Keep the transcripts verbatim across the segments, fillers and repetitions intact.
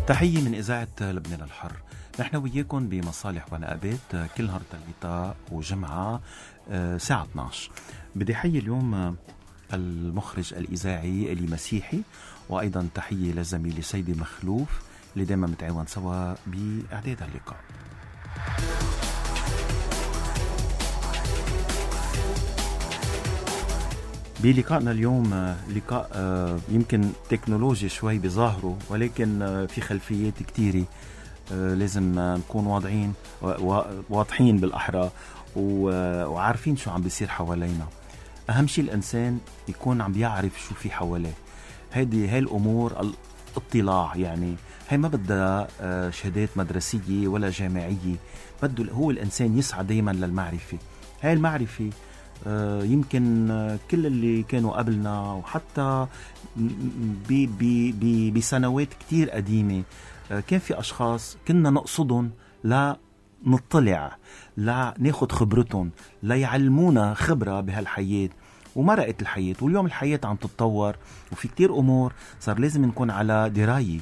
تحية من إذاعة لبنان الحر. نحن وياكم بمصالح ونقابات كل نهار ثلاثاء وجمعة ساعة اثني عشر. بدي حيي اليوم المخرج الإذاعي إلي مسيحي، وأيضا تحية لزميلي سيدي مخلوف اللي دائما متعاون سوا بإعداد اللقاء. بلقائنا اليوم لقاء يمكن تكنولوجي شوي بظاهره، ولكن في خلفيات كتيرة لازم نكون واضعين واضحين بالأحرى وعارفين شو عم بيصير حوالينا. أهم شيء الإنسان يكون عم بيعرف شو في حواليه. هذه هاي الأمور الاطلاع، يعني هاي ما بدها شهادات مدرسية ولا جامعية، بده هو الإنسان يسعى دايما للمعرفة. هاي المعرفة يمكن كل اللي كانوا قبلنا وحتى بسنوات كتير قديمة كان في أشخاص كنا نقصدهم لا نطلع، لا ناخد خبرتهم، لا يعلمونا خبرة بهالحياة. ومرقت الحياة، واليوم الحياة عم تتطور وفي كتير أمور صار لازم نكون على دراية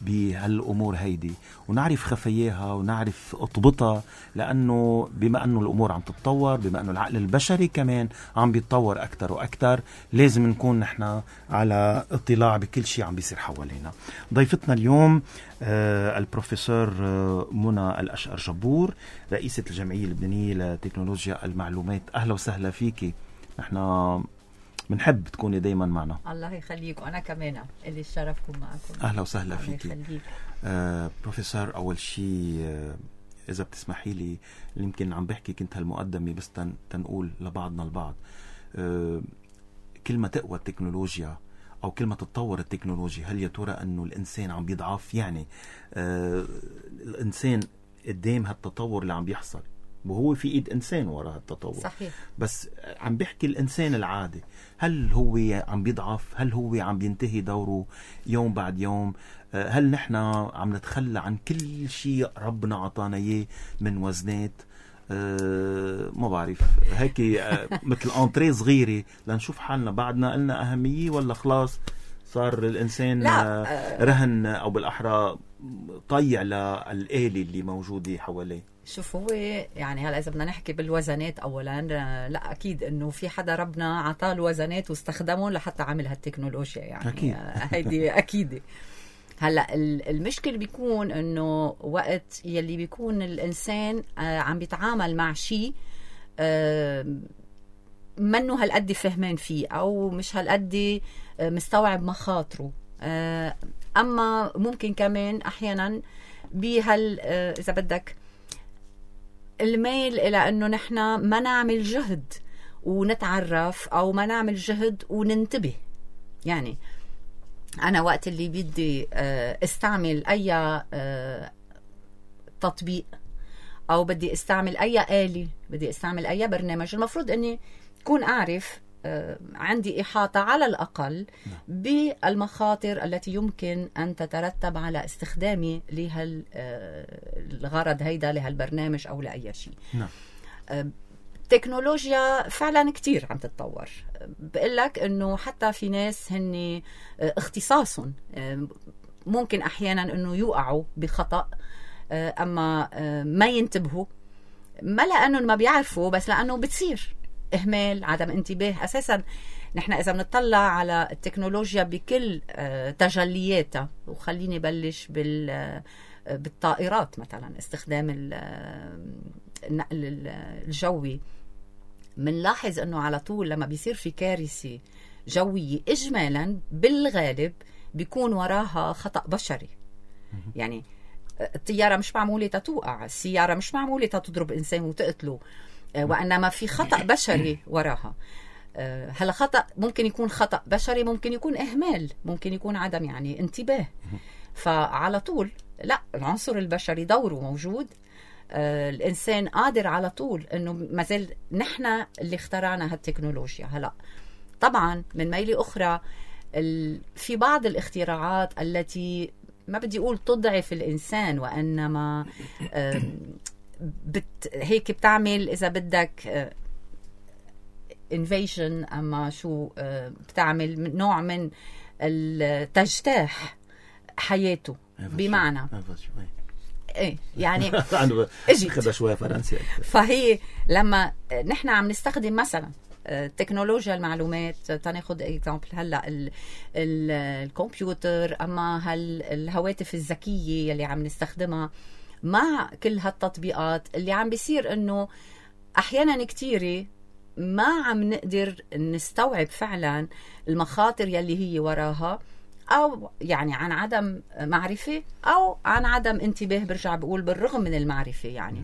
بهالأمور هيدي ونعرف خفاياها ونعرف اضبطها، لأنه بما أنه الأمور عم تتطور، بما أنه العقل البشري كمان عم بيتطور أكتر وأكتر، لازم نكون نحن على اطلاع بكل شيء عم بيصير حوالينا. ضيفتنا اليوم آه البروفيسور آه منى الأشقر جبور، رئيسة الجمعية اللبنانية لتكنولوجيا المعلومات. أهلا وسهلا فيكي، نحن بنحب تكوني دايما معنا. الله يخليك، وأنا كمان اللي الشرفكم معكم. أهلا وسهلا فيكي. آه بروفيسور، أول شيء آه إذا بتسمحي لي، يمكن عم بحكي كنت هالمقدمة بس تن تنقول لبعضنا البعض آه كلمة تقوى التكنولوجيا أو كلمة تتطور التكنولوجيا، هل يا ترى أنه الإنسان عم بيضعف؟ يعني آه الإنسان قدام هالتطور اللي عم بيحصل، وهو في ايد انسان وراء التطور. صحيح. بس عم بحكي الانسان العادي، هل هو عم بيضعف؟ هل هو عم بينتهي دوره يوم بعد يوم؟ هل نحن عم نتخلى عن كل شيء ربنا عطانا اياه من وزنات؟ أه ما بعرف، هيك مثل انطريه صغيره لنشوف حالنا بعدنا قلنا اهميه، ولا خلاص صار الانسان لا. رهن او بالاحرى طيع للآلة اللي موجوده حواليه. شوف، هو يعني هلا اذا بدنا نحكي بالوزنات اولا، لا اكيد انه في حدا ربنا عطاه الوزنات واستخدمهم لحتى عمل هالتكنولوجيا، يعني أكيد. هيدي اكيد. هلا المشكل بيكون انه وقت يلي بيكون الانسان عم بيتعامل مع شيء منه هالقد فهمان فيه او مش هالقد مستوعب مخاطره، اما ممكن كمان احيانا بهال اذا بدك الميل إلى أنه نحن ما نعمل جهد ونتعرف أو ما نعمل جهد وننتبه. يعني أنا وقت اللي بدي استعمل أي تطبيق أو بدي استعمل أي آلة، بدي استعمل أي برنامج، المفروض أني أكون أعرف عندي إحاطة على الأقل بالمخاطر التي يمكن أن تترتب على استخدامي لهالغرض هيدا، لهالبرنامج أو لأي شيء. تكنولوجيا فعلا كتير عم تتطور. بقول لك أنه حتى في ناس هن اختصاصهم ممكن أحيانا أنه يوقعوا بخطأ، أما ما ينتبهوا، ما لأنه ما بيعرفوا، بس لأنه بتصير إهمال، عدم انتباه. أساساً نحن إذا بنطلع على التكنولوجيا بكل تجلياتها، وخليني بلش بالطائرات مثلاً، استخدام النقل الجوي، منلاحظ أنه على طول لما بيصير في كارثة جوية إجمالاً بالغالب بيكون وراها خطأ بشري. يعني الطيارة مش معمولة تتوقع، السيارة مش معمولة تضرب إنسان وتقتله، وإنما في خطأ بشري وراها. هلا خطأ ممكن يكون خطأ بشري، ممكن يكون إهمال، ممكن يكون عدم يعني انتباه. فعلى طول لا، العنصر البشري دوره موجود. الإنسان قادر على طول إنه مازال نحن اللي اخترعنا هالتكنولوجيا. هلا طبعا من ميلة أخرى في بعض الاختراعات التي ما بدي أقول تضعف الإنسان، وإنما بت هيك بتعمل إذا بدك invasion، أما شو بتعمل نوع من التجتاح حياته. بمعنى ايه يعني اجي خدها شويه فرنسي. فهي لما نحن عم نستخدم مثلا تكنولوجيا المعلومات، تناخد اكزامبل هلا ال ال الكمبيوتر، اما هال الهواتف الذكيه اللي عم نستخدمها مع كل هالتطبيقات، اللي عم بيصير انه احيانا كتيره ما عم نقدر نستوعب فعلا المخاطر يلي هي وراها، أو يعني عن عدم معرفة أو عن عدم انتباه. برجع بقول بالرغم من المعرفة يعني.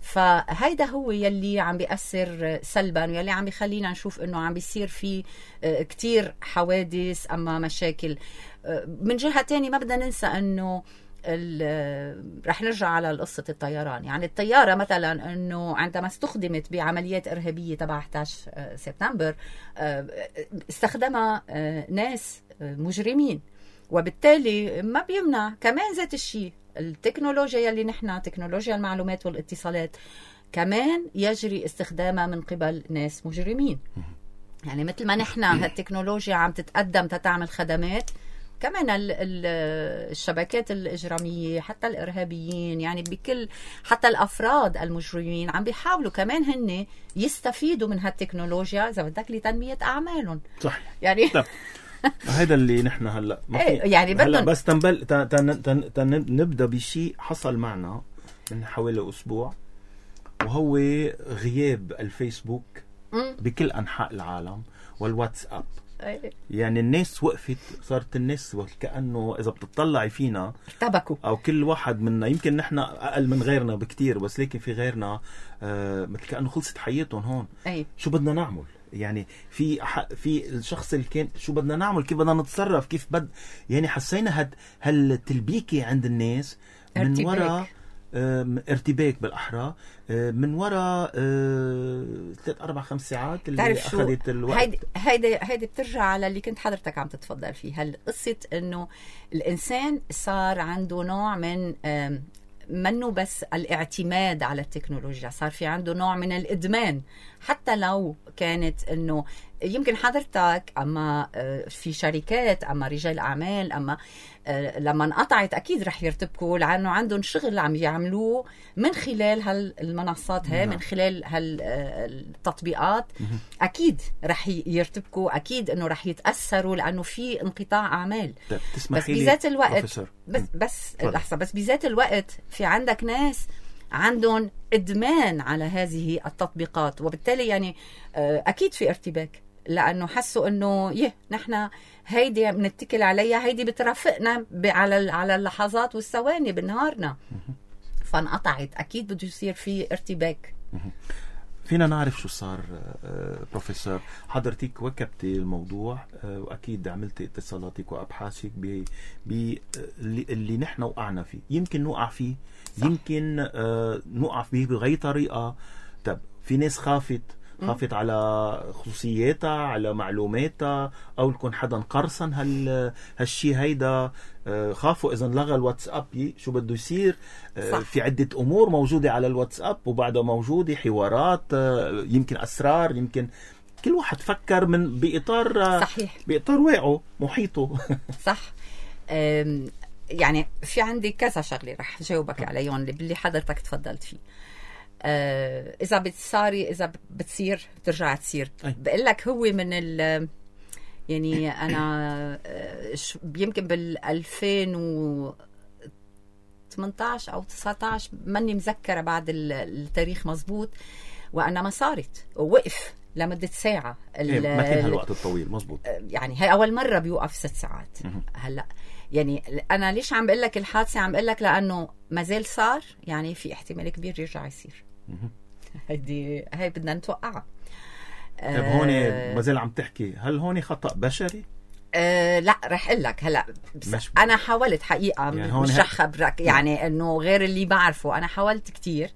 فهيدا هو يلي عم بيأثر سلبا، ويلي عم بيخلينا نشوف إنه عم بيصير في كتير حوادث أما مشاكل. من جهة تانية ما بدنا ننسى إنه رح نرجع على قصة الطيران. يعني الطيارة مثلا أنه عندما استخدمت بعمليات إرهابية تبع إحدى عشر سبتمبر استخدمها ناس مجرمين، وبالتالي ما بيمنع كمان ذات الشيء التكنولوجيا يلي نحن تكنولوجيا المعلومات والاتصالات كمان يجري استخدامها من قبل ناس مجرمين. يعني مثل ما نحن هالتكنولوجيا عم تتقدم تتعمل خدمات، كمان الشبكات الإجرامية حتى الإرهابيين، يعني بكل حتى الأفراد المجرمين عم بيحاولوا كمان هن يستفيدوا من هالتكنولوجيا إذا بدك لتنمية أعمالهم. صح يعني هذا اللي نحن هلا يعني بدهم بس تنبل تن تن تن تن نبدأ بشيء حصل معنا من حوالي أسبوع، وهو غياب الفيسبوك م? بكل أنحاء العالم والواتساب. يعني الناس وقفت، صارت الناس كأنه إذا بتطلعي فينا ارتبكوا، أو كل واحد منا، يمكن نحن أقل من غيرنا بكتير، بس لكن في غيرنا آه مثل كأنه خلصت حياتهم هون. أي. شو بدنا نعمل؟ يعني في في الشخص اللي كان شو بدنا نعمل، كيف بدنا نتصرف، كيف بد يعني حسينا هاد هالتلبيكة عند الناس من وراء ارتباك بالأحرى، من وراء ثلاث أربع خمس ساعات اللي أخذت الوقت. هيدي هيدي هيدي بترجع على اللي كنت حضرتك عم تتفضل فيه، هالقصة إنه الإنسان صار عنده نوع من منه بس الاعتماد على التكنولوجيا، صار في عنده نوع من الإدمان. حتى لو كانت إنه يمكن حضرتك أما في شركات أما رجال أعمال أما لما انقطعت أكيد رح يرتبكوا، لأنه عندهم شغل عم يعملوه من خلال هالمنصات هاي، من خلال هالتطبيقات. أكيد رح يرتبكوا، أكيد إنه رح يتأثروا، لأنه في انقطاع أعمال. بس بذات الوقت بس بس لحظة بس بذات الوقت في عندك ناس عندهم إدمان على هذه التطبيقات، وبالتالي يعني أكيد في ارتباك، لأنه حسوا إنه يه نحن هيدي بنتكل عليها، هيدي بترافقنا على على اللحظات والثواني بنهارنا، فانقطعت. أكيد بده يصير في ارتباك. فينا نعرف شو صار بروفيسور؟ حضرتك وكبتي الموضوع وأكيد عملتي اتصالاتك وأبحاثك ب اللي نحن وقعنا فيه، يمكن نوقع فيه، صح. يمكن نوقع فيه بغير طريقة. طب في ناس خافت خافت على خصوصياتها، على معلوماتها، او يكون حدا قرصن هال هالشيء هيدا، خافوا اذا لغى الواتساب شو بده يصير. صح. في عدة امور موجودة على الواتساب وبعدها موجودة حوارات، يمكن اسرار، يمكن كل واحد فكر من باطار صحيح، باطار واقعه محيطه. صح. يعني في عندي كذا شغله رح جاوبك عليهم اللي حضرتك تفضلت فيه. آه إذا بتصاري إذا بتصير بترجع تصير. بقول لك هو من ال يعني أنا يمكن بال ألفين وثمانية عشر أو تسعة عشر ماني مذكرة بعد التاريخ مزبوط، وأنا ما صارت ووقف لمدة ساعة. إيه ما كان هالوقت الطويل مزبوط. يعني هاي أول مرة بيوقف ست ساعات. هلأ يعني أنا ليش عم بقول لك الحادثة؟ عم بقول لك لأنه ما زال صار، يعني في احتمال كبير يرجع يصير. هيدي هاي بدنا نتوقعها. طيب هون ما زال عم تحكي، هل هون خطأ بشري؟ أه لا رح اقول لك هلا. انا حاولت حقيقه، يعني مش رح خبرك يعني انه غير اللي بعرفه. انا حاولت كتير،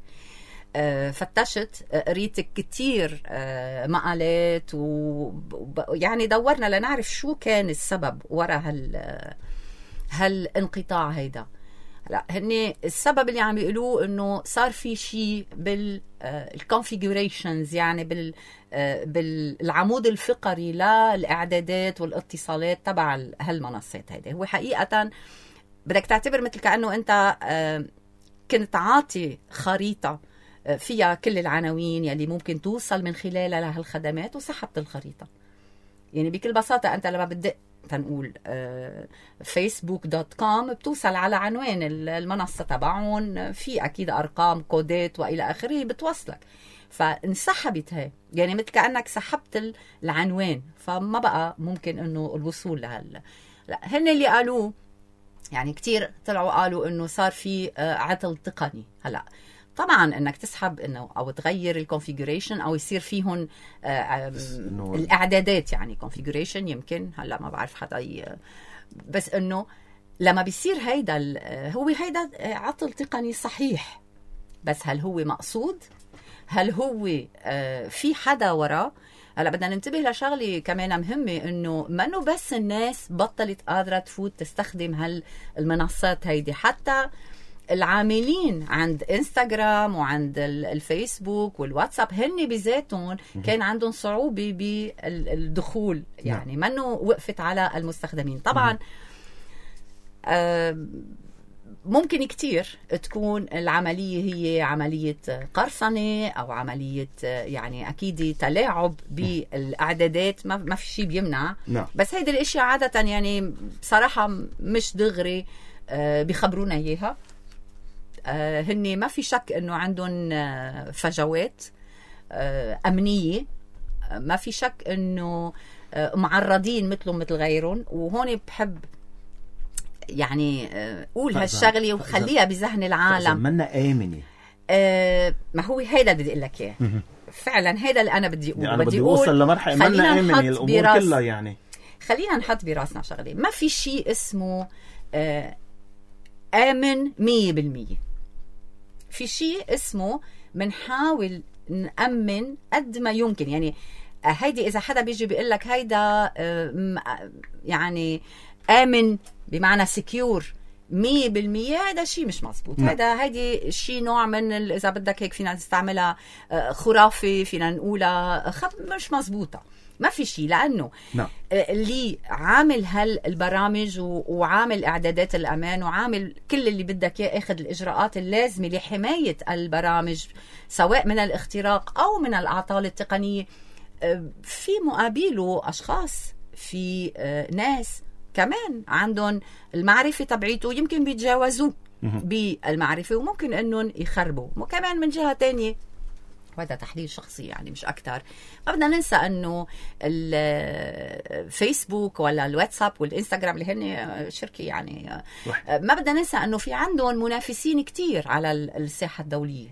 أه فتشت، قريت كتير أه مقالات، ويعني دورنا لنعرف شو كان السبب وراء هال هالانقطاع هيدا. لا هني السبب اللي عم بيقولوه انه صار في شيء بالكونفيجوريشنز، يعني بال بالعمود الفقري للاعدادات والاتصالات تبع هالمنصات هيدي. هو حقيقه بدك تعتبر مثل كأنه أنت آه كنت عاطي خريطة فيها كل العناوين يلي ممكن توصل من خلالها لهالخدمات وسحبت الخريطة. يعني بكل بساطة أنت لما بدق تنقول فيسبوك دوت كوم بتوصل على عنوان المنصة تبعهم، في أكيد أرقام كودات وإلى آخره بتوصلك، فانسحبت هاي. يعني مثل كأنك سحبت العنوان، فما بقى ممكن أنه الوصول لهال. لا، هن اللي قالوه يعني كتير طلعوا قالوا أنه صار في عطل تقني. هلأ طبعا انك تسحب انه او تغير الكونفيجريشن او يصير فيهم الاعدادات، يعني كونفيجريشن يمكن هلا ما بعرف حدا ي... بس انه لما بيصير هيدا هو هيدا عطل تقني صحيح، بس هل هو مقصود؟ هل هو في حدا وراه؟ هلا بدنا ننتبه لشغله كمان مهمه، انه منه بس الناس بطلت قادره تفوت تستخدم هالمنصات هيدي، حتى العاملين عند انستغرام وعند الفيسبوك والواتساب هن بذاتهم كان عندهم صعوبة بالدخول، يعني منه وقفت على المستخدمين. طبعا آه ممكن كتير تكون العملية هي عملية قرصنة أو عملية يعني أكيد تلاعب بالأعدادات، ما في شيء بيمنع. بس هيدا الاشياء عادة يعني بصراحة مش دغري آه بيخبرونا إياها. آه هني ما في شك انه عندهم آه فجوات آه امنيه، آه ما في شك انه آه معرضين مثلهم مثل غيرهم. وهون بحب يعني آه قول هالشغله وخليها بذهن العالم، منا امنه. آه ما هو هيدا بدي اقول لك اياه فعلا، هيدا اللي انا بدي اقوله. يعني بدي اوصل لمرحله منا امنه الامور كلها. يعني خلينا نحط براسنا شغله، ما في شيء اسمه آه آمن مية بالمية. في شيء اسمه منحاول نأمن قد ما يمكن. يعني هيدي إذا حدا بيجي بيقول لك هيدا يعني آمن بمعنى سكيور مية بالمية، هذا شيء مش مزبوط. هذا هيدي شيء نوع من إذا بدك هيك فينا نستعملها خرافي، فينا نقولها خب مش مزبوطة. ما في شيء، لأنه نعم. اللي عامل هالبرامج وعامل إعدادات الأمان وعامل كل اللي بدك إياه، أخذ الإجراءات اللازمة لحماية البرامج سواء من الاختراق أو من الأعطال التقنية. في مقابله أشخاص، في ناس كمان عندهم المعرفة تبعيته يمكن بيتجاوزوه بالمعرفة وممكن أنهم يخربوا. وكمان من جهة تانية، وهذا تحليل شخصي يعني مش أكتر، ما بدنا ننسى أنه الفيسبوك ولا الواتساب والإنستغرام اللي هن شركة يعني ما بدنا ننسى أنه في عندهم منافسين كتير على الساحة الدولية.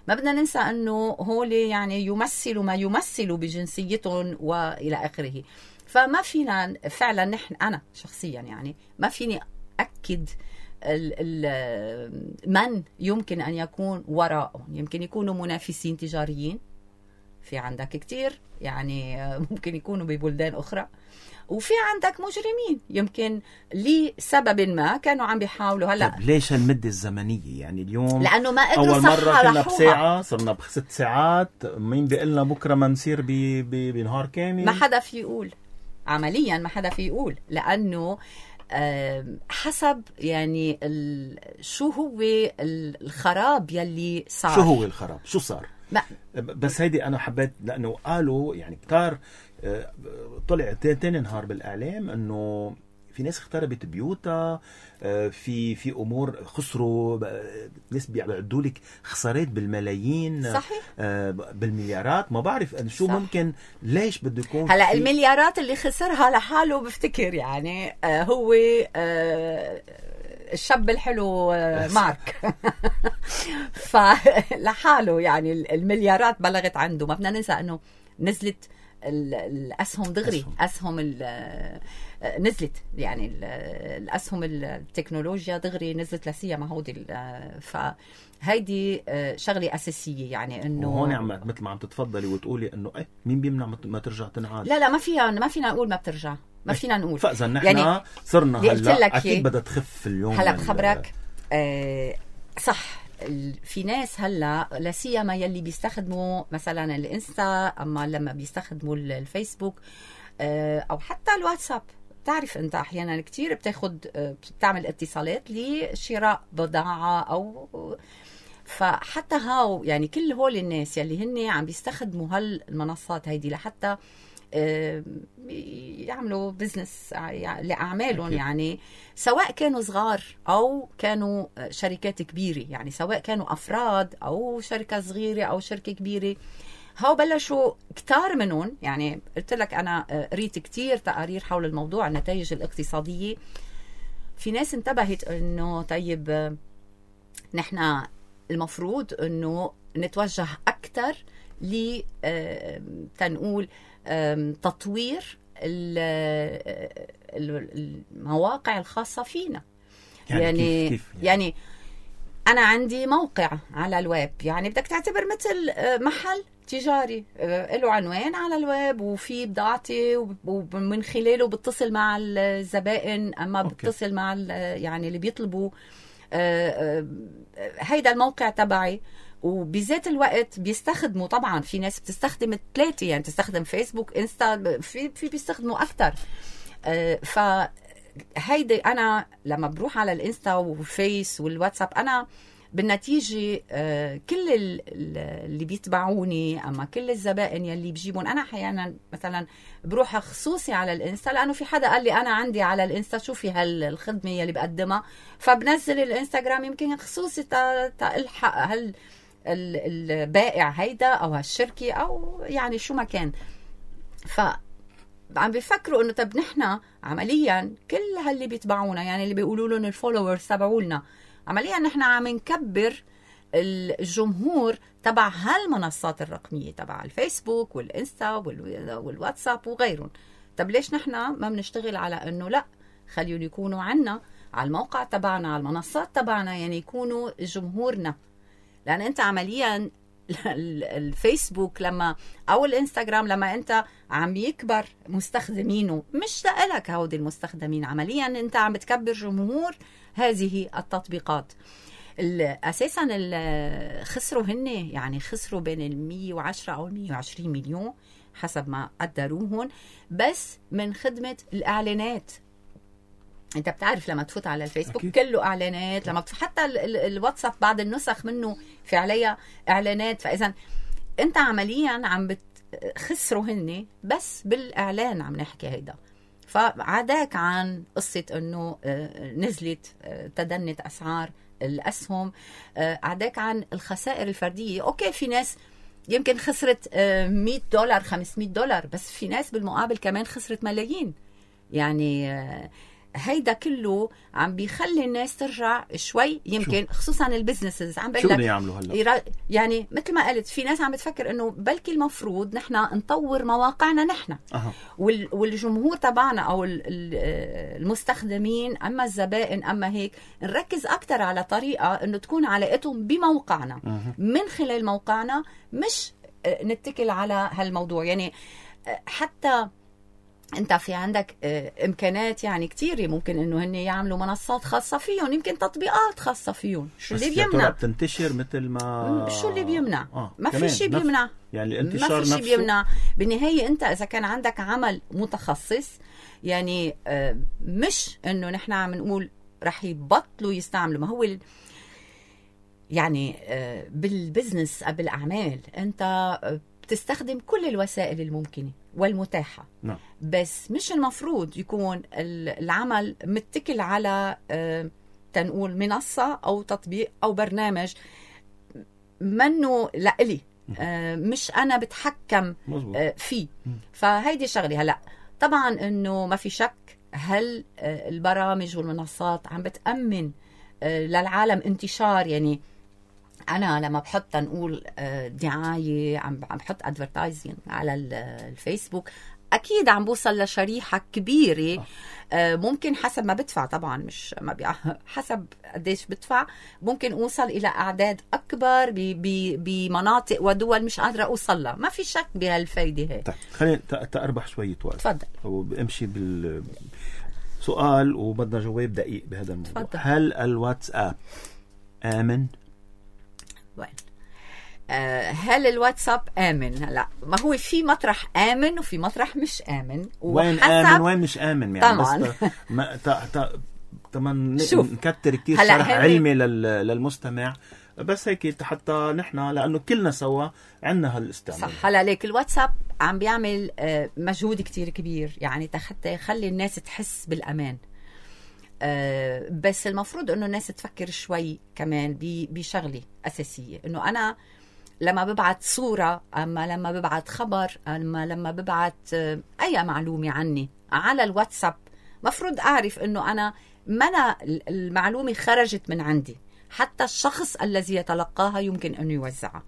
ما بدنا ننسى أنه هول يعني يمثلوا ما يمثلوا بجنسيتهم وإلى آخره. فما فينا فعلا نحن، أنا شخصيا يعني ما فيني أكد من يمكن أن يكون وراءهم. يمكن يكونوا منافسين تجاريين، في عندك كتير يعني ممكن يكونوا ببلدان أخرى، وفي عندك مجرمين يمكن لسبب ما كانوا عم بيحاولوا. هلا طيب ليش المدة الزمنية؟ يعني اليوم لأنه ما قدروا أول مرة كنا بساعة صرنا بست ساعات، مين بيقلنا بكرة ما نصير بنهار كامل؟ ما حدا في يقول عمليا، ما حدا في يقول، لأنه حسب يعني شو هو الخراب يلي صار. شو هو الخراب؟ شو صار؟ ما بس هيدي أنا حبيت، لأنه قالوا يعني كتار طلع تاني نهار بالإعلام أنه في ناس اختربت بيوتها، في في امور خسروا، ناس بيعدوا لك خسارات بالملايين، صحيح، بالمليارات. ما بعرف شو صح. ممكن ليش بده يكون هلا المليارات اللي خسرها لحاله بفتكر يعني هو الشاب الحلو مارك فلحاله يعني المليارات بلغت عنده. ما بدنا ننسى انه نزلت الاسهم دغري، اسهم, أسهم نزلت يعني الاسهم التكنولوجيا دغري نزلت لسيما هودي. فهيدي شغله اساسيه يعني انه هون عم مثل ما عم تتفضلي وتقولي انه ايه مين بيمنع ما ترجع تنعاد. لا لا ما فيها ما فينا نقول ما بترجع، ما فينا نقول. فاذا نحن يعني صرنا هلا اكيد بدها تخف اليوم. هلا بخبرك آه صح، في ناس هلا لا سيما يلي بيستخدموا مثلا الانستا، اما لما بيستخدموا الفيسبوك او حتى الواتساب بتعرف أنت أحيانا كتير بتاخد بتعمل اتصالات لشراء بضاعة أو فحتى هاو يعني كل هول الناس يلي هن عم بيستخدموا هالمنصات هيدي لحتى يعملوا بزنس لأعمالهم، يعني سواء كانوا صغار أو كانوا شركات كبيرة، يعني سواء كانوا أفراد أو شركة صغيرة أو شركة كبيرة، هاو بلشوا كتار منهم. يعني قلت لك أنا قريت كتير تقارير حول الموضوع النتائج الاقتصادية. في ناس انتبهت إنه طيب نحن المفروض إنه نتوجه أكتر ل تنقول تطوير المواقع الخاصة فينا. يعني, يعني, كيف كيف يعني, يعني أنا عندي موقع على الويب، يعني بدك تعتبر مثل محل تجاري له عنوان على الويب وفي بضاعتي ومن خلاله بتصل مع الزبائن، أما أوكي. بتصل مع يعني اللي بيطلبوا هيدا الموقع تبعي. وبذات الوقت بيستخدموا طبعا في ناس بتستخدم الثلاثة، يعني تستخدم فيسبوك انستا، في في بيستخدموا أكتر. فهيدا أنا لما بروح على الانستا والفيس والواتساب أنا بالنتيجة كل اللي بيتبعوني أما كل الزبائن يلي بجيبون، أنا أحيانا مثلا بروح خصوصي على الانستا لأنه في حدا قال لي أنا عندي على الانستا شوفي هالخدمة يلي بقدمها، فبنزل الانستغرام يمكن خصوصي تلحق هال البائع هيدا أو هالشركة أو يعني شو ما كان. فعم بيفكروا إنه طب نحنا عمليا كل هاللي بيتبعونا، يعني اللي بيقولوا لهم الفولورز تبعولنا، عمليا نحن عم نكبر الجمهور تبع هالمنصات الرقمية تبع الفيسبوك والإنستا والواتساب وغيرهم. طب ليش نحن ما بنشتغل على إنه لا خليهم يكونوا عنا على الموقع تبعنا على المنصات تبعنا، يعني يكونوا جمهورنا. لأن أنت عمليا الفيسبوك لما أو الإنستغرام لما أنت عم يكبر مستخدمينه مش لك هودي المستخدمين، عمليا أنت عم بتكبر جمهور هذه التطبيقات. أساسا خسروا هن يعني خسروا بين المية وعشرة أو المية وعشرين مليون حسب ما قدروهن بس من خدمة الإعلانات. انت بتعرف لما تفوت على الفيسبوك أكيد. كله اعلانات، لما حتى الواتساب بعض النسخ منه في عليها اعلانات. فاذا انت عمليا عم بتخسروا هن بس بالاعلان عم نحكي هيدا. فعداك عن قصة انه نزلت تدنت اسعار الاسهم، عداك عن الخسائر الفردية. اوكي في ناس يمكن خسرت مية دولار خمسمية دولار، بس في ناس بالمقابل كمان خسرت ملايين. يعني هيدا كله عم بيخلي الناس ترجع شوي يمكن شو. خصوصا البزنسز عم شو بدهم يعملوا هلا؟ يعني مثل ما قلت في ناس عم بتفكر انه بلكي المفروض نحن نطور مواقعنا نحن أه. والجمهور تبعنا او المستخدمين اما الزبائن اما هيك نركز اكثر على طريقه انه تكون علاقتهم بموقعنا أه. من خلال موقعنا، مش نتكل على هالموضوع. يعني حتى انت في عندك امكانات يعني كتير ممكن انه هن يعملوا منصات خاصه فيهم، يمكن تطبيقات خاصه فيهم. شو اللي بيمنع بتنتشر مثل ما شو اللي بيمنع آه. ما في شيء بيمنع، يعني الانتشار ما في شيء بيمنع. بالنهايه انت اذا كان عندك عمل متخصص يعني آه مش انه نحن عم نقول رح يبطلوا يستعملوا. ما هو يعني آه بالبزنس بالاعمال انت بتستخدم كل الوسائل الممكنة والمتاحة نعم. بس مش المفروض يكون العمل متكل على آه تنقول منصة أو تطبيق أو برنامج منه لإلي، آه مش أنا بتحكم آه فيه. فهيدي شغلي. هلأ طبعا أنه ما في شك هل آه البرامج والمنصات عم بتأمن آه للعالم انتشار. يعني أنا لما بحط نقول دعاية عم بحط advertising على الفيسبوك أكيد عم بوصل لشريحة كبيرة، ممكن حسب ما بدفع طبعا مش ما بي... حسب قديش بدفع ممكن أوصل إلى أعداد أكبر بمناطق ودول مش قادرة أوصل لها. ما في شك بهالفايدة هي. طيب خلينا تأربح شوية وقت. تفضل. وبمشي بالسؤال وبدنا جواب دقيق بهذا الموضوع. تفضل. هل الواتساب آمن؟ وين آه هل الواتساب آمن؟ هلا ما هو في مطرح آمن وفي مطرح مش آمن، وين آمن وين مش آمن يعني. طبعا. بس ما تا تا طبعا نكتر كتير شرح هل... علمي للمستمع، بس هيك حتى نحن لأنه كلنا سوا عنا هالاستعمال. صح. هلا ليك الواتساب عم بيعمل مجهود كتير كبير يعني حتى يخلي الناس تحس بالأمان. أه بس المفروض انه الناس تفكر شوي كمان بشغله اساسيه، انه انا لما ببعت صوره، اما لما ببعت خبر، اما لما ببعت اي معلومه عني على الواتساب، مفروض اعرف انه انا ما أنا المعلومه خرجت من عندي، حتى الشخص الذي يتلقاها يمكن انه يوزعها،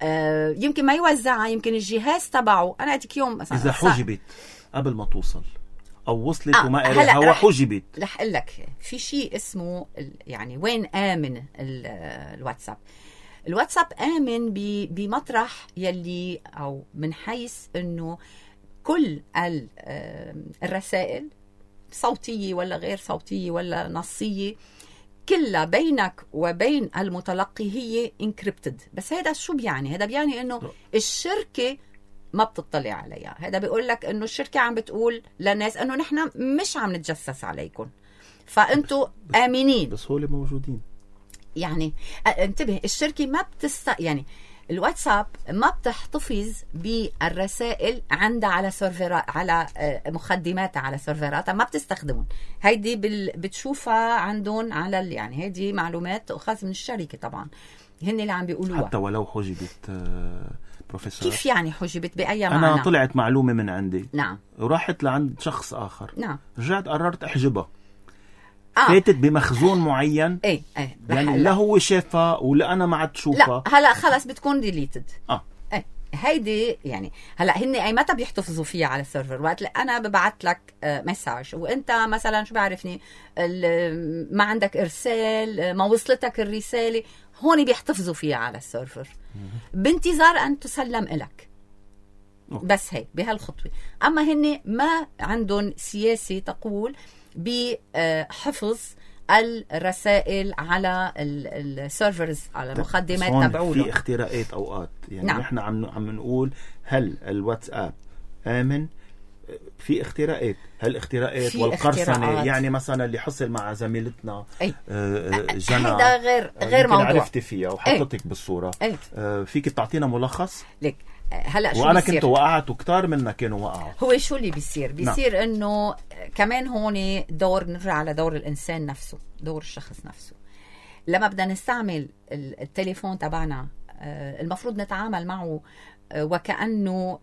أه يمكن ما يوزعها، يمكن الجهاز تبعه. انا اديك يوم مثلا اذا حجبت قبل ما توصل او وصلت آه وما قريها هو حجبت، رح اقول لك في شيء اسمه يعني وين آمن الواتساب. الواتساب آمن بمطرح يلي او من حيث انه كل الرسائل صوتية ولا غير صوتية ولا نصية كلها بينك وبين المتلقي هي انكريبتد. بس هذا شو بيعني؟ هذا بيعني انه الشركة ما بتطلع عليها. هذا بيقول لك انه الشركة عم بتقول للناس انه نحن مش عم نتجسس عليكم، فانتوا آمنين. بس هول موجودين يعني. انتبه، الشركة ما بتست يعني الواتساب ما بتحتفظ بالرسائل عندها على سيرفرات، على مخدماتها على سيرفراتها، ما بتستخدمهم. هيدي بال... بتشوفها عندهم على ال... يعني هيدي معلومات تؤخذ من الشركة طبعا، هن اللي عم بيقولوها. حتى ولو حجبت بروفيسور. كيف يعني حجبت؟ بأي معنى؟ أنا طلعت معلومة من عندي، نعم، وراحت لعند شخص آخر، نعم، رجعت قررت أحجبها. آه. فاتت بمخزون معين، ايه ايه يعني لا هو شافها ولا أنا ما عاد شوفها. لا هلا خلص بتكون ديليتد. اه ايه هيدي يعني. هلا هن اي متى بيحتفظوا فيها على السيرفر؟ وقت انا ببعث لك مساج وانت مثلا شو بعرفني ما عندك ارسال، ما وصلتك الرساله، هون بيحتفظوا فيها على السيرفر بانتظار ان تسلم إلك. بس هيك بهالخطوه. اما هن ما عندهم سياسه تقول بحفظ الرسائل على السيرفرز، على المخدمات تبعوله. في اختراقات اوقات يعني. نعم. نحن عم عم نقول هل الواتساب آمن؟ في اختراقات، هالاختراقات والقرصنه يعني مثلا اللي حصل مع زميلتنا أي. جنى، هذا غير غير موضوع عرفتي فيها وحطتك أي. بالصوره. أي. فيك تعطينا ملخص؟ لك هلا شو وانا بيصير؟ كنت وقعت وكتار منا كانوا وقعوا. هو شو اللي بيصير؟ بيصير نعم. انه كمان هون دور، نرجع على دور الانسان نفسه، دور الشخص نفسه. لما بدنا نستعمل التليفون تبعنا المفروض نتعامل معه وكأنه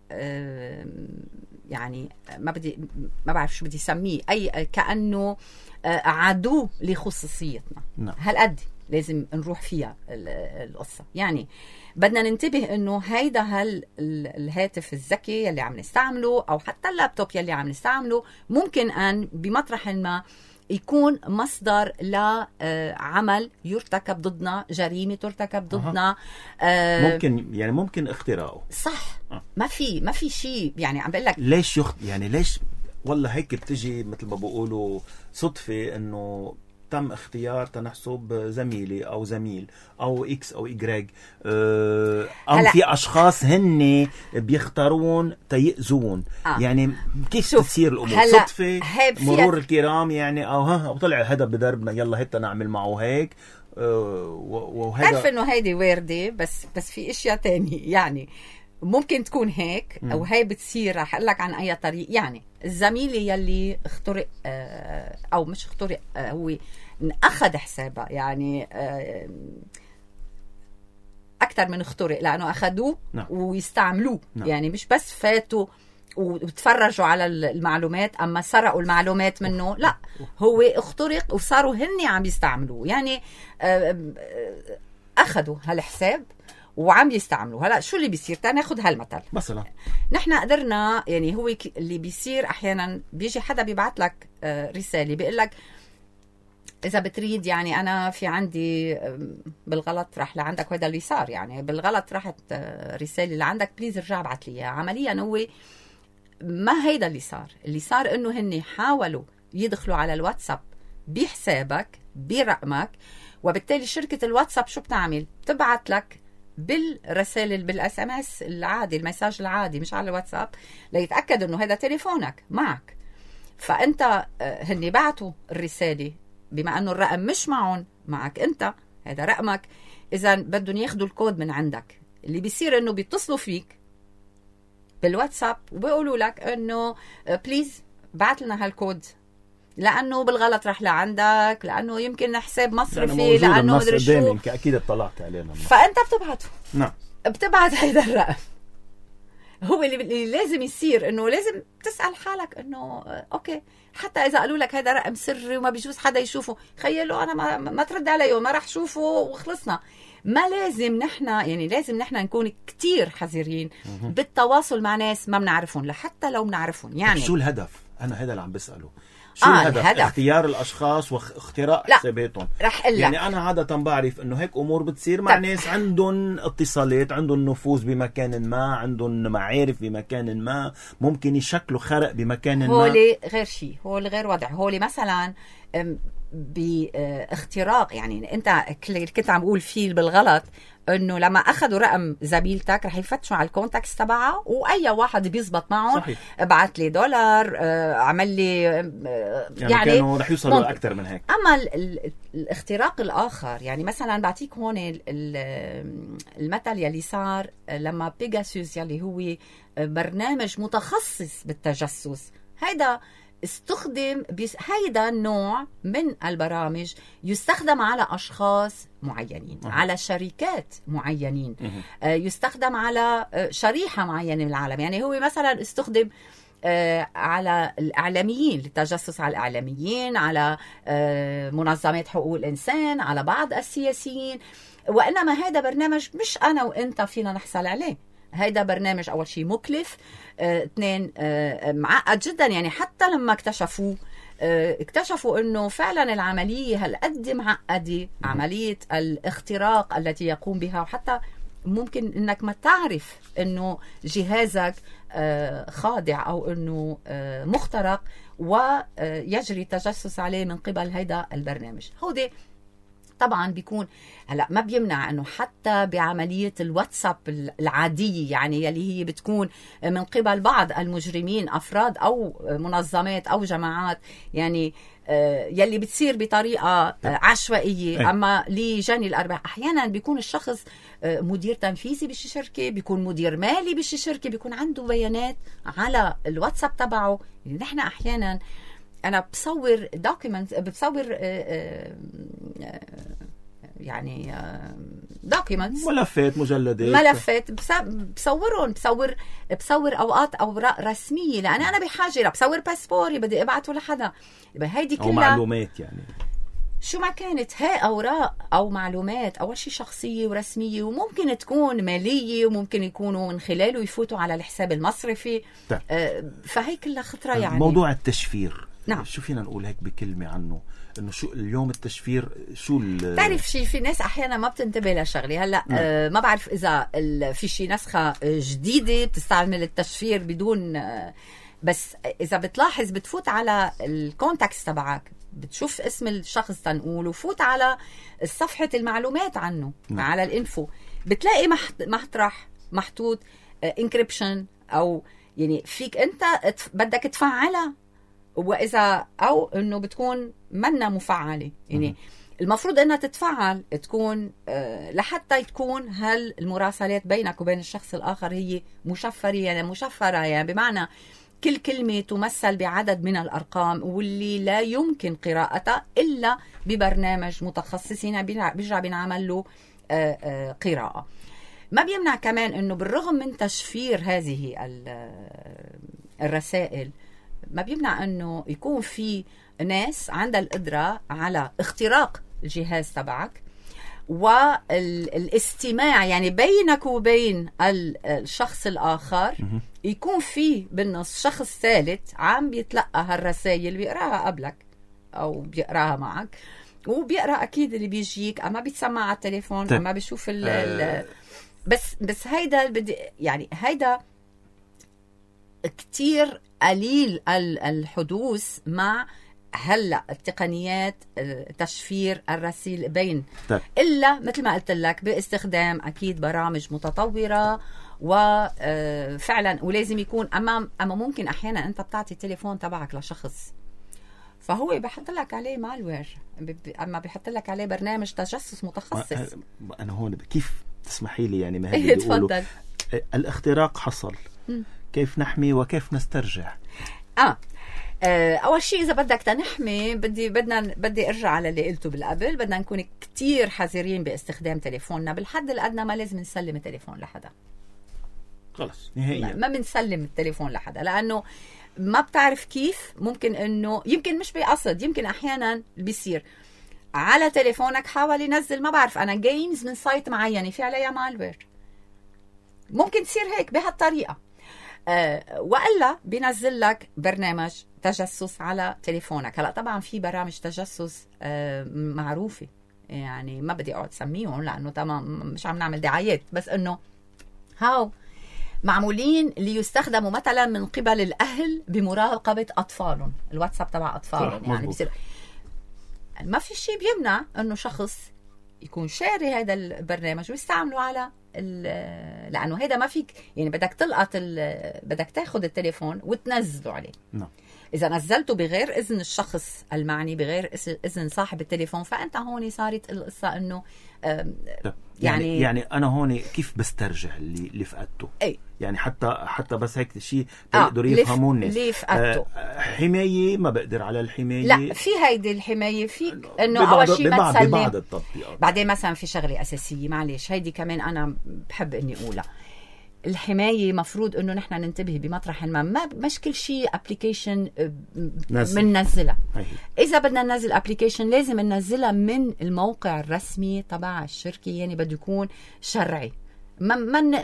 يعني ما بدي ما بعرف شو بدي سميه، اي كأنه عدو لخصوصيتنا. نعم. هالقد لازم نروح فيها القصة. يعني بدنا ننتبه انه هيدا هال الهاتف الذكي يلي عم نستعمله او حتى اللابتوب يلي عم نستعمله ممكن ان بمطرح ما يكون مصدر لعمل يرتكب ضدنا، جريمة ترتكب ضدنا. أه ممكن يعني ممكن اختراقه. صح. أه. ما في ما في شيء يعني. عم بقول لك ليش يخت يعني ليش والله هيك بتجي مثل ما بيقولوا صدفة انه تم اختيار تنحسب زميلي او زميل او اكس او ايجريج، أه او في اشخاص هن بيختارون تيأذون. آه. يعني كيف تصير الامور صدفه مرور الكرام يعني، او ها وطلع هذا بدربنا يلا هتا نعمل معه هيك. أه وهذا تعرف انه هيدي وارده، بس بس في اشياء تانية يعني ممكن تكون هيك م. او هي بتصير. رح اقول لك عن اي طريق. يعني الزميل يلي اخترق او مش اخترق، هو اخذ حسابها يعني اكثر من اخترق، لانه اخذوه نعم. ويستعملوه. نعم. يعني مش بس فاتوا وتفرجوا على المعلومات اما سرقوا المعلومات منه، لا هو اخترق وصاروا هن عم يستعملوه. يعني اخذوا هالحساب وعم يستعملوا. هلا شو اللي بيصير؟ تعال ناخذ هالمثل مثلا. نحن قدرنا يعني هو اللي بيصير احيانا بيجي حدا بيبعت لك رساله بيقول لك اذا بتريد يعني انا في عندي بالغلط راح لعندك، وهذا اللي صار يعني بالغلط راحت رساله لعندك، بليز ارجع ابعث لي اياها. عمليا هو ما هيدا اللي صار. اللي صار انه هن حاولوا يدخلوا على الواتساب بحسابك برقمك، وبالتالي شركه الواتساب شو بتعمل؟ بتبعت لك بالرسائل بالاس ام اس العادي، المساج العادي مش على الواتساب، ليتاكد انه هذا تليفونك معك. فانت هني بعتوا الرساله بما انه الرقم مش معهم، معك انت، هذا رقمك، اذا بدهم ياخذوا الكود من عندك. اللي بيصير انه بيتصلوا فيك بالواتساب وبيقولوا لك انه بليز بعت لنا هالكود، لانه بالغلط راح لعندك، لانه يمكن حساب مصرفي، يعني لانه مدري شو، اكيد اطلعت علينا. فانت بتبعته. نعم، بتبعت هيدا الرقم. هو اللي, اللي لازم يصير انه لازم تسال حالك انه اوكي، حتى اذا قالوا لك هذا رقم سري وما بيجوز حدا يشوفه، خيلوا انا ما, ما ترد عليه وما راح شوفه وخلصنا. ما لازم نحن، يعني لازم نحن نكون كتير حذرين بالتواصل مع ناس ما بنعرفهم، لحتى لو بنعرفهم. يعني شو الهدف؟ انا هذا اللي عم بساله. شو آه الهدف؟ الهدف اختيار الاشخاص واختراق حساباتهم. رح قلك. يعني انا عاده بعرف انه هيك امور بتصير مع طب. ناس عندهم اتصالات، عندهم نفوذ بمكان ما، عندهم معارف بمكان ما، ممكن يشكلوا خرق بمكان ما. هولي غير شيء، هولي غير وضع. هولي مثلا باختراق، يعني انت كنت عم بقول فيه بالغلط انه لما اخذوا رقم زميلتك رح يفتشوا على الكونتاكس تبعها، واي واحد بيزبط معهم ابعت لي دولار، عمل لي، يعني, يعني كانوا رح يوصلوا اكثر من هيك. اما الاختراق الاخر، يعني مثلا بعطيك هون المثل يلي صار لما بيجاسوس يلي هو برنامج متخصص بالتجسس، هيدا استخدم بيس... هيدا النوع من البرامج يستخدم على أشخاص معينين، أه. على شركات معينين، أه. يستخدم على شريحة معينة من العالم. يعني هو مثلا استخدم آه على الإعلاميين، للتجسس على الإعلاميين، على آه منظمات حقوق الإنسان، على بعض السياسيين. وإنما هذا برنامج مش أنا وإنت فينا نحصل عليه. هيدا برنامج أول شيء مكلف، اه اثنين اه معقد جدا. يعني حتى لما اكتشفوه اه اكتشفوا انه فعلا العملية هالقد معقدة، عملية الاختراق التي يقوم بها، وحتى ممكن انك ما تعرف انه جهازك اه خاضع او انه اه مخترق ويجري التجسس عليه من قبل هيدا البرنامج. هودي طبعا بيكون هلا ما بيمنع انه حتى بعمليه الواتساب العاديه، يعني يلي هي بتكون من قبل بعض المجرمين، افراد او منظمات او جماعات، يعني يلي بتصير بطريقه عشوائيه. اما لجني الارباح احيانا بيكون الشخص مدير تنفيذي بشي شركه، بيكون مدير مالي بشي شركه، بيكون عنده بيانات على الواتساب تبعه. يعني نحن احيانا أنا بصور دوكيمنت، بصور يعني دوكيمنتس، ملفات، مجلدات، ملفات بصورهم، بصور بصور أوقات أوراق رسمية، لأن أنا بحاجة، بصور باسبوري بدي أبعته لحدا، هيدي كلها أو معلومات. يعني شو ما كانت هاي أوراق أو معلومات، أول شيء شخصية ورسمية، وممكن تكون مالية، وممكن يكونوا من خلاله يفوتوا على الحساب المصرفي. طيب. فهي كلها خطرة. يعني موضوع التشفير، نعم. شو فينا نقول هيك بكلمة عنه؟ انه شو اليوم التشفير؟ شو تعرف شيء، في ناس احيانا ما بتنتبه لشغله. هلا آه ما بعرف اذا في شيء نسخه جديده بتستعمل التشفير بدون آه بس اذا بتلاحظ بتفوت على الكونتاكس تبعك، بتشوف اسم الشخص تنقول، وفوت على صفحه المعلومات عنه. م. على الانفو بتلاقي مطرح محطوط انكريبشن، او يعني فيك انت بدك تفعلها، وإذا أو إنه بتكون منا مفعلة. يعني المفروض إنها تتفعل، تكون آه لحتى تكون هالمراسلات بينك وبين الشخص الآخر هي مشفرة. يعني مشفرة يعني بمعنى كل كلمة تمثل بعدد من الأرقام، واللي لا يمكن قراءتها إلا ببرنامج متخصصين بيرجع بينعمل له آه آه قراءة. ما بيمنع كمان إنه بالرغم من تشفير هذه الرسائل، ما بيمنع انه يكون في ناس عندها القدرة على اختراق الجهاز تبعك والاستماع، يعني بينك وبين الشخص الآخر يكون في بالنص شخص ثالث عم بيتلقى هالرسائل، بيقراها قبلك أو بيقراها معك، وبيقرأ أكيد اللي بيجيك، أما بيتسمع على التليفون، طيب. أما بيشوف ال ال بس بس هيدا بدي يعني هيدا كتير قليل الحدوث مع هلا التقنيات تشفير الرسائل بين طيب. الا مثل ما قلت لك باستخدام اكيد برامج متطوره وفعلا ولازم يكون اما اما ممكن احيانا انت بتعطي التليفون تبعك لشخص فهو بيحط لك عليه مالوير اما بيحط لك عليه برنامج تجسس متخصص. انا هون كيف تسمحي لي يعني ما هي بيقولوا الاختراق حصل م. كيف نحمي وكيف نسترجع؟ اه اول شيء اذا بدك تنحمي بدي بدنا بدي ارجع على اللي قلته بالقبل، بدنا نكون كتير حذرين باستخدام تليفوننا. بالحد الادنى ما لازم نسلم التليفون لحدا، خلص نهائيا ما بنسلم التليفون لحدا، لانه ما بتعرف كيف ممكن انه يمكن مش بقصد، يمكن احيانا بيصير على تليفونك حاول ينزل ما بعرف انا جيمز من سايت معينه في عليها مالوير، ممكن تصير هيك بهالطريقه. أه والا بينزل لك برنامج تجسس على تليفونك. هلا طبعا في برامج تجسس أه معروفه، يعني ما بدي اقعد سميهم لانه تمام مش عم نعمل دعايات، بس انه هاو معمولين ليستخدموا مثلا من قبل الاهل بمراقبه اطفالهم، الواتساب تبع اطفالهم. يعني بصير ما في شيء بيمنع انه شخص يكون شاري هذا البرنامج ويستعمله على لانه هذا ما فيك يعني بدك تلقط بدك تاخذ التليفون وتنزله عليه. نعم. اذا نزلته بغير اذن الشخص المعني بغير اذن صاحب التليفون فانت هون صارت القصه انه يعني يعني, يعني انا هون كيف بسترجع اللي اللي فقدته؟ اي يعني حتى حتى بس هيك شيء بيقدروا آه يفهموا الناس اللي فقدته. آه حمايه ما بقدر على الحمايه. لا في هيدي الحمايه فيك انه اول شيء ما تسلم. ببعض التطبيقات بعدين مثلا في شغله اساسيه معلش هيدي كمان انا بحب اني اقولها، الحمايه مفروض انه نحن ننتبه بمطرح ما ما مش كل شيء ابلكيشن بننزلها. اذا بدنا ننزل ابلكيشن لازم ننزلها من الموقع الرسمي تبع الشركه، يعني بده يكون شرعي. ما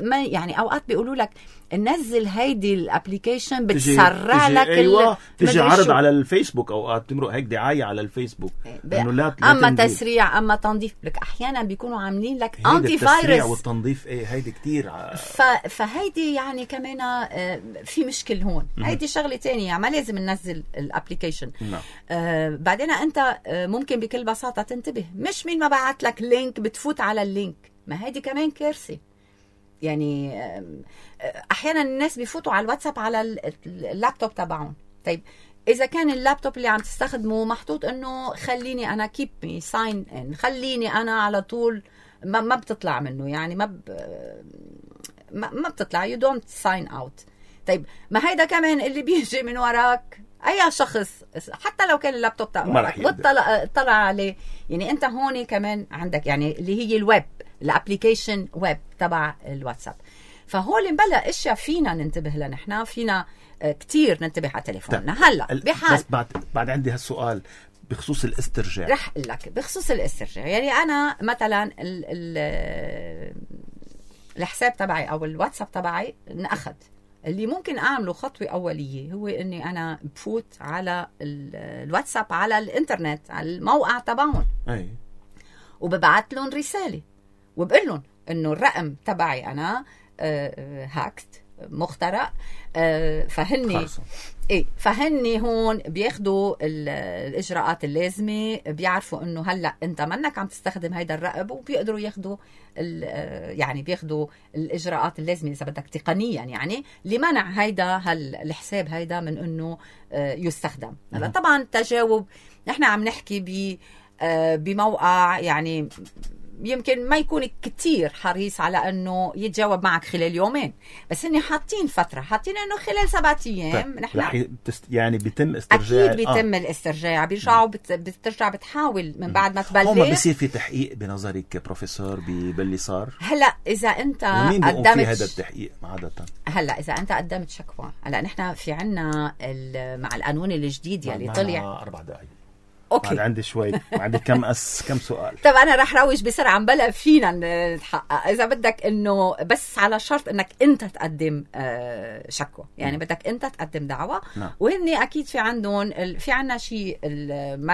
ما يعني اوقات بيقولوا لك نزل هيدي الابلكيشن بتسرع لك ايوه تجي عرض على الفيسبوك، اوقات تمرق هيك دعايه على الفيسبوك انه لا اما تنزيل. تسريع اما تنظيف لك احيانا بيكونوا عاملين لك انتي فايروس. التسريع والتنظيف ايه هيدي كتير ع... ف... فهيدي يعني كمان في مشكل هون. هيدي شغله تانية يعني ما لازم ننزل الابلكيشن. نعم. آه بعدين انت ممكن بكل بساطه تنتبه، مش مين ما بعت لك لينك بتفوت على اللينك، ما هيدي كمان كارثه. يعني احيانا الناس بيفوتوا على الواتساب على اللابتوب تبعهم. طيب اذا كان اللابتوب اللي عم تستخدمه محطوط انه خليني انا كيب مي ساين ان، خليني انا على طول ما, ما بتطلع منه، يعني ما ب... ما, ما بتطلع يو دونت ساين اوت. طيب ما هيدا كمان اللي بيجي من وراك اي شخص حتى لو كان اللابتوب تبعك وطلع طلع عليه، يعني انت هون كمان عندك يعني اللي هي الويب الابليكيشن ويب تبع الواتساب. فهول مبلا اشياء فينا ننتبه لها، نحن فينا كتير ننتبه على تليفوننا. هلا بحال بس بعد بعد عندي هالسؤال بخصوص الاسترجاع. رح اقول لك بخصوص الاسترجاع، يعني انا مثلا ال ال الحساب تبعي او الواتساب تبعي انأخذ، اللي ممكن اعمله خطوه اوليه هو اني انا بفوت على الواتساب على الانترنت على الموقع تبعهم، اي وببعث لهم رساله وبقول لهم انه الرقم تبعي انا هاكت مخترق، فهني ايه فهني هون بياخدوا الاجراءات اللازمه، بيعرفوا انه هلا انت منك عم تستخدم هيدا الرقم، وبيقدروا ياخدوا يعني بياخدوا الاجراءات اللازمه اذا بدك تقنيا يعني لمنع هيدا الحساب هيدا من انه يستخدم. هلا طبعا تجاوب نحن عم نحكي ب بموقع يعني يمكن ما يكون كتير حريص على انه يتجاوب معك خلال يومين، بس اني حاطين فتره حاطين انه خلال سبعة ايام نحن يعني بيتم استرجاع. اكيد بيتم آه. الاسترجاع، بيرجعوا بت... بترجع بتحاول من بعد ما تبلغ. هون بصير في تحقيق بنظرك بروفيسور باللي صار؟ هلا اذا انت قدمت في هذا التحقيق عاده، هلا اذا انت قدمت شكوى، هلا نحن في عنا مع القانون الجديد يلي طلع اربع دقائق اوكي عندي شوي عندي كم أس كم سؤال. طب انا رح روج بسرعه بلا فينا نتحقق اذا بدك انه بس على شرط انك انت تقدم شكوى يعني م. بدك انت تقدم دعوه نعم. وهن اكيد في عندهم في عندنا شيء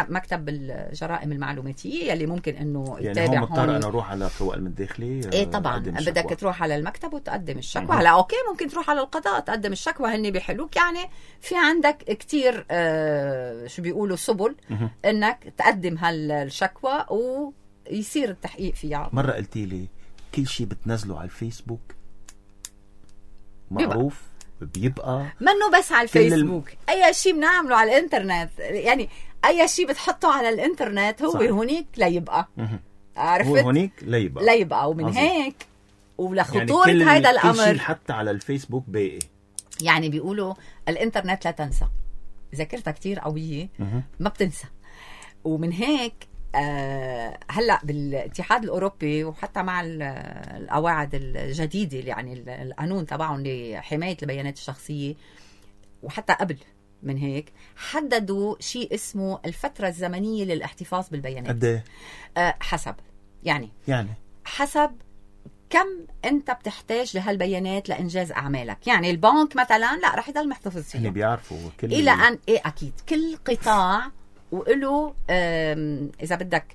مكتب الجرائم المعلوماتيه يلي ممكن انه يعني يتابع هون مضطر انا اروح على قوى الداخليه ايه طبعا بدك تروح على المكتب وتقدم الشكوى. هلا اوكي ممكن تروح على القضاء تقدم الشكوى هن بيحلوك يعني في عندك كتير آه شو بيقولوا سبل م. انك تقدم هالشكوى ويصير التحقيق فيها. مرة قلتي لي كل شيء بتنزله على الفيسبوك معروف بيبقى, بيبقى منه بس على الفيسبوك الم... اي شيء بنعمله على الانترنت يعني اي شيء بتحطه على الانترنت هو صحيح. هونيك ليبقى عرفت هو هونيك ليبقى ليبقى ومن عظيم. هيك ولخطورة يعني هيدا الامر كل شيء حتى على الفيسبوك باقي يعني بيقولوا الانترنت لا تنسى ذاكرتها كتير قوية ما بتنسى. ومن هيك آه هلا بالاتحاد الاوروبي وحتى مع القواعد الجديده يعني القانون تبعهم لحمايه البيانات الشخصيه وحتى قبل من هيك حددوا شيء اسمه الفتره الزمنيه للاحتفاظ بالبيانات. قد ايه؟ آه حسب يعني يعني حسب كم انت بتحتاج لهالبيانات لانجاز اعمالك. يعني البنك مثلا لا رح يضل محتفظ فيها اللي بيعرفوا كل الى ان ايه اكيد كل قطاع وله اذا بدك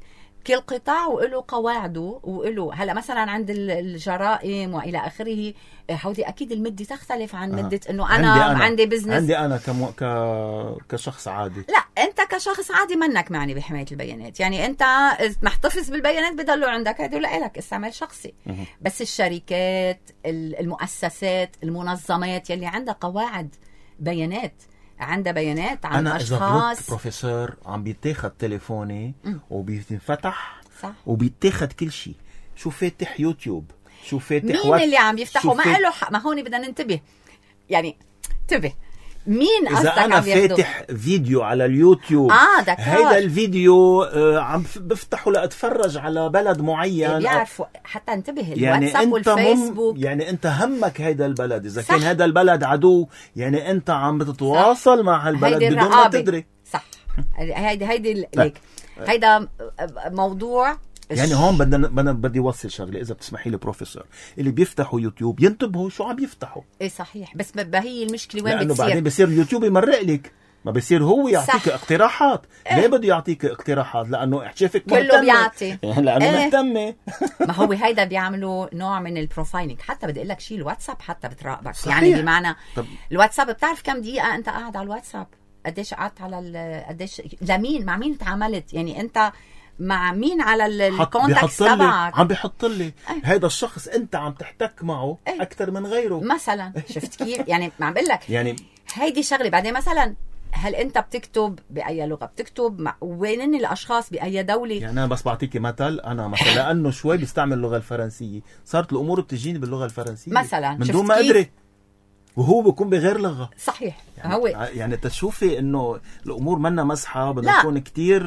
كل قطاع وله قواعده وله هلا مثلا عند الجرائم والى اخره هودي اكيد المده تختلف عن آه. مده انه انا عندي, أنا. عندي بزنس عندي انا كم... ك... كشخص عادي. لا انت كشخص عادي منك معني بحمايه البيانات يعني انت محتفظ بالبيانات بضلوا عندك هدول لك استعمال شخصي م- بس الشركات المؤسسات المنظمات يلي عندها قواعد بيانات عندها بيانات عن أنا أشخاص. أنا إذا بروفيسور عم بيتاخد تليفوني م. وبينفتح صح. وبيتاخد كل شيء شو فاتح يوتيوب شو فاتح مين وات... اللي عم يفتحه ما له حق. ما هون بدنا ننتبه يعني انتبه مين إذا أنا فاتح فيديو على اليوتيوب آه هيدا الفيديو آه عم بفتحه لأتفرج على بلد معين بيعرفوا حتى انتبه يعني الواتساب والفيسبوك مم يعني أنت همك هيدا البلد إذا صح. كان هيدا البلد عدو يعني أنت عم بتتواصل صح. مع هالبلد بدون ما تدري صح. هيدا هيدا ليك هيدا موضوع يعني هون بدنا بدنا بدي اوصل شغله اذا بتسمحي لي بروفيسور اللي بيفتحوا يوتيوب ينتبهوا شو عم يفتحوا. ايه صحيح بس ما هي المشكله وين لأنه بتصير بعدين بصير اليوتيوب يمرق لك ما بصير هو يعطيك صح. اقتراحات إيه؟ ليه بده يعطيك اقتراحات لانه شايفك مهتمه كله بيعطي لانه إيه؟ مهتمه ما هو هيدا بيعملوا نوع من البروفايلنج حتى بدي اقول لك شيء الواتساب حتى بتراقبك صحيح. يعني بمعنى طب. الواتساب بتعرف كم دقيقه انت قاعد على الواتساب قديش قعدت على قديش لمين مع مين تعاملت يعني انت مع مين على الكونتاكت تبعك عم بيحط لي هيدا الشخص انت عم تحتك معه ايه؟ اكثر من غيره مثلا شفت كيف يعني ما عم بقول لك يعني هيدي شغله. بعدين مثلا هل انت بتكتب باي لغه بتكتب مع وين الاشخاص باي دوله يعني انا بس بعطيكي مثل انا مثلا لانه شوي بستعمل اللغه الفرنسيه صارت الامور بتجيني باللغه الفرنسيه مثلا من دون ما ادري وهو بيكون بغير لغه صحيح يعني هو يعني تشوفي انه الامور منا مزحه بدنا نكون كتير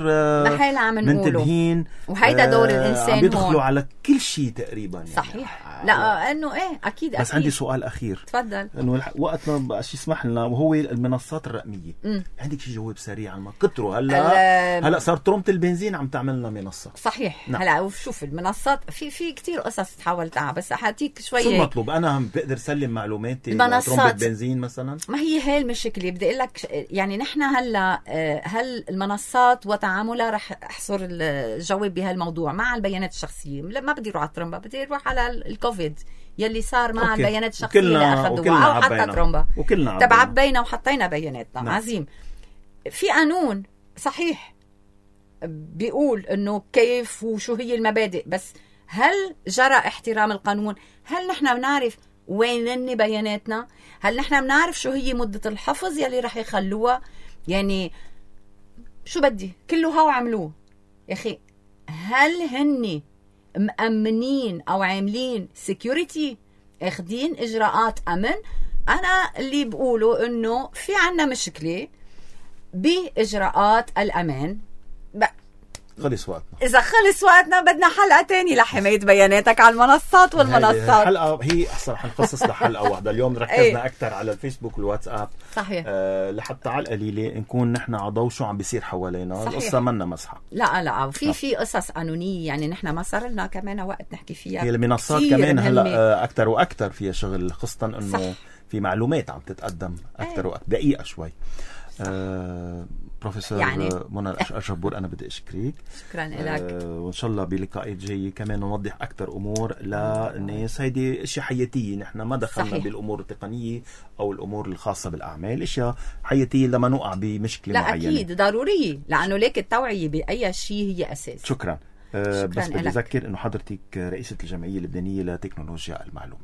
منتبهين وهيدا دور الانسان عم بيدخلوا هون. على كل شيء تقريبا يعني صحيح آه لا انه ايه اكيد بس أكيد. عندي سؤال اخير تفضل انه وقت ما بقى شيء يسمح لنا وهو المنصات الرقميه م. عندك شيء جواب سريع عن ما كتروا هلا هلا صار ترمت البنزين عم تعمل لنا منصه صحيح نعم. هلا وشوف المنصات في في كتير قصص تحاول تعمل بس حاتيك شوي شو المطلوب انا بقدر سلم معلوماتي المنصات بنزين مثلا ما هي هي المشكله بدي اقول لك يعني نحن هلا هل المنصات وتعاملها رح احصر الجواب بهالموضوع مع البيانات الشخصيه ما بدي اروح على ترومبا بدي اروح على الكوفيد يلي صار مع أوكي. البيانات الشخصيه اللي اخذوها او حتى ترومبا وكلنا تبع عبينا وحطينا بياناتنا نعم. عظيم في قانون صحيح بيقول انه كيف وشو هي المبادئ بس هل جرى احترام القانون؟ هل نحن بنعرف وين بياناتنا؟ هل نحن بنعرف شو هي مدة الحفظ يلي رح يخلوها؟ يعني شو بدي كله هاو عملوه يا أخي هل هني مأمنين أو عاملين security اخدين إجراءات أمن؟ أنا اللي بقوله إنه في عنا مشكلة بإجراءات الأمان خلص وقتنا. إذا خلص وقتنا بدنا حلقة تاني لحماية بياناتك على المنصات والمنصات. حلقة هي أحسن حنخصص لحلقة واحدة. اليوم ركزنا أكتر على الفيسبوك والواتساب. صحيح. أه لحتى على القليلة نكون نحن عضو شو عم بيصير حوالينا. القصة منا مسحة. لا لا وفي في قصص قانونية يعني نحن ما صار لنا كمان وقت نحكي فيها. هي المنصات كمان هلا أكتر وأكتر فيها شغل، خاصة إنه في معلومات عم تتقدم أكتر وأكتر دقيقة شوي. أه بروفيسور يعني منى الأشربور أنا بدي أشكرك. شكرا لك. أه وإن شاء الله بلقاءات جاية كمان نوضح أكتر أمور للناس. هيدي أشياء حياتية، نحن ما دخلنا صحيح. بالأمور التقنية أو الأمور الخاصة بالأعمال، أشياء حياتية لما نقع بمشكلة لا معينة. لا أكيد ضرورية، لأنه ليك التوعية بأي شيء هي أساس. شكرا. أه بس بدي أذكر أنه حضرتك رئيسة الجمعية اللبنانية لتكنولوجيا المعلومات.